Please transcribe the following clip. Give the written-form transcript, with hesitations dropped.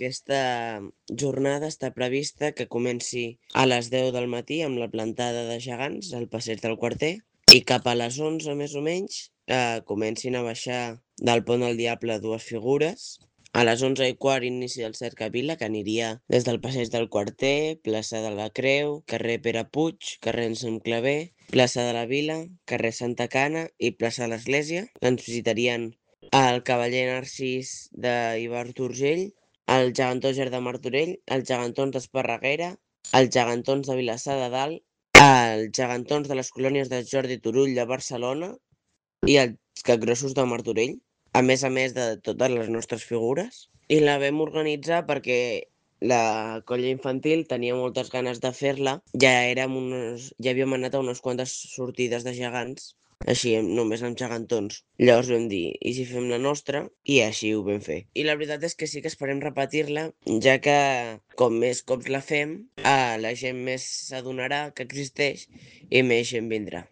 Aquesta jornada està prevista que comenci a les 10 del matí amb la plantada de gegants al passeig del Quarter i cap a les 11 més o menys comencin a baixar del Pont del Diable dues figures. A les 11:15 inici del Cercavila, que aniria des del passeig del Quarter, plaça de la Creu, carrer Pere Puig, carrer Anselm Clavé, plaça de la Vila, carrer Santa Cana i plaça de l'Església. Ens visitarien el cavaller Narcís d'Ibart Urgell, el gegantó Ger de Martorell, els gegantons d'Esparreguera, els gegantons de Vilassar de Dalt, els gegantons de les colònies de Jordi Turull de Barcelona i els capgrossos de Martorell, a més de totes les nostres figures. I la vam organitzar perquè la colla infantil tenia moltes ganes de fer-la. Ja havíem anat a unes quantes sortides de gegants, així només amb gegantons. Llavors vam dir, i si fem la nostra? I així ho vam fer. I la veritat és que sí que esperem repetir-la, ja que com més cops la fem, la gent més s'adonarà que existeix i més gent vindrà.